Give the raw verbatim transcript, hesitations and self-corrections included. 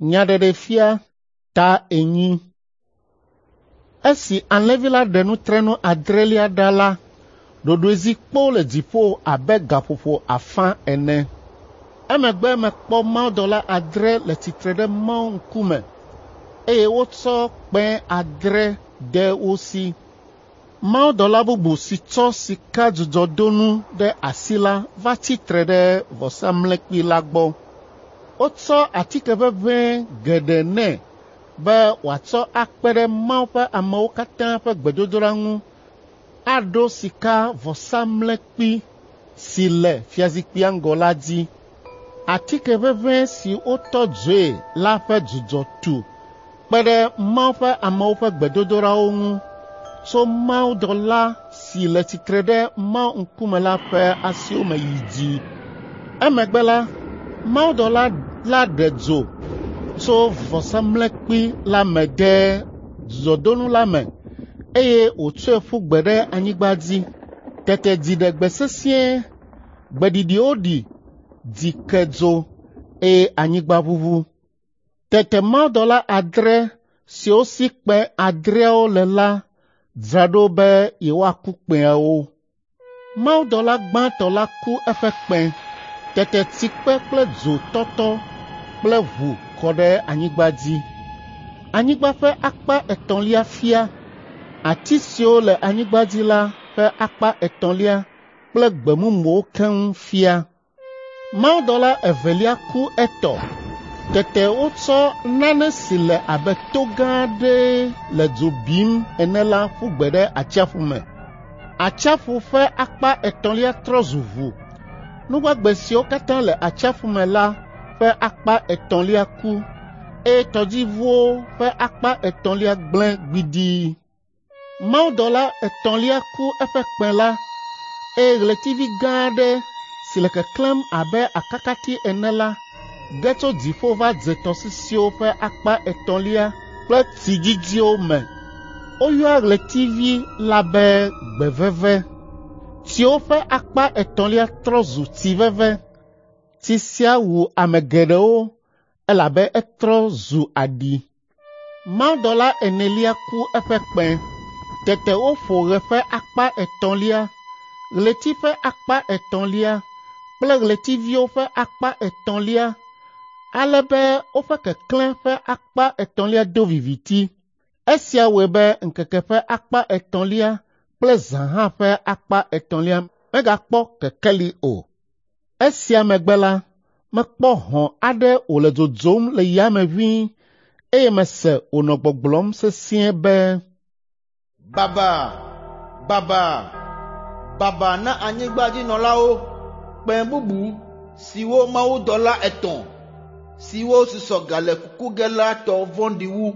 Nyaɖeɖefia ta enyi. Esi alẽvi la ɖe nutrenu adrelia ɖa la, ɖoɖoe zi kpoo le dziƒo abe gaƒoƒo afã ene. Emegbe mekpɔ mawudɔla adre le tsitre ɖe Mawu ŋkume eye wotsɔ kpẽ adre de wo si. Mawudɔla bubu si tsɔ sikadzudzɔdonu ɖe asi la va tsi tre ɖe vɔsamlekpui la gbɔ. Wotsɔ atike ʋeʋẽe geɖe nɛ be wòatsɔ akpe ɖe Mawu ƒe amewo katã ƒe gbedodoɖa ŋu aɖo sikavɔsamlekpui si le fiazikpuia ŋgɔ la dzi. Atike ʋeʋẽe si wotɔ dzoe la ƒe dzudzɔ tu kpe ɖe Mawu ƒe amewo ƒe gbedodoɖawo ŋu tso mawudɔla si le tsitre ɖe Mawu ŋkume la ƒe asiwo me yi dzi. Emegbe la, mawudɔla la ɖe dzo tso vɔsamlekpui la me de dzudzɔdonu la me eye wòtsɔe ƒu gbe ɖe anyigba dzi. Tete dziɖegbe sesĩe, gbeɖiɖiwo ɖi, dzi ke dzo eye anyigba ʋuʋu. Tete mawudɔla adre siwo si kpẽ adreawo le la dzra ɖo be yewoaku kpẽawo. Mawudɔla gbãtɔ la ku eƒe kpẽ. Tete tsikpe kple dzotɔtɔ kple ʋu kɔ ɖe anyigba dzi. Anyigba ƒe akpa etɔ̃lia fia, ati siwo le anyigba dzi la ƒe akpa etɔ̃lia kple gbe mumuwo keŋ fia. Mawudɔla evelia ku etɔ. Tete wotsɔ nane si le abe to gã aɖee le dzo bim ene la ƒu gbe ɖe atsiaƒu me. Atsiaƒu ƒe akpa etɔ̃lia trɔ zu ʋu. Nu gbagbe siwo katã le atsiaƒu me la ƒe akpa etɔ̃lia ku eye tɔdziʋuwo ƒe akpa etɔ̃lia gblẽ gbidii. Mawudɔla etɔ̃lia ku eƒe kpẽ la eye ɣletivi gã aɖe si le keklẽm abe akakati ene la ge tso dziƒo va dze tɔsisiwo ƒe akpa etɔ̃lia kple tsidzidziwo me. Woyɔa ɣletivi la be gbeveve. Tsiwo ƒe akpa etɔ̃lia trɔ zu tsi veve. Tsi sia wu ame geɖewo elabe etrɔ zu aɖi. Mawudɔla enelia ku eƒe kpẽ. Tete woƒo ɣe ƒe akpa etɔ̃lia, ɣleti ƒe akpa etɔ̃lia kple ɣletiviwo ƒe akpa etɔ̃lia ale be woƒe keklẽ ƒe akpa etɔ̃lia do viviti. Esia wɔe be ŋkeke ƒe akpa etɔ̃lia kple zã hã ƒe akpa etɔ̃lia megakpɔ kekeli o. Esia megbe la, mekpɔ hɔ̃ aɖe wòle dzodzom le yame ʋĩi eye mese wònɔ gbɔgblɔm sesĩe be, Baba, baba, baba na anyigbadzinɔlawo, kpẽ bubu siwo mawudɔla etɔ̃ siwo susɔ gale kuku ge la tɔ vɔ̃ɖi wu.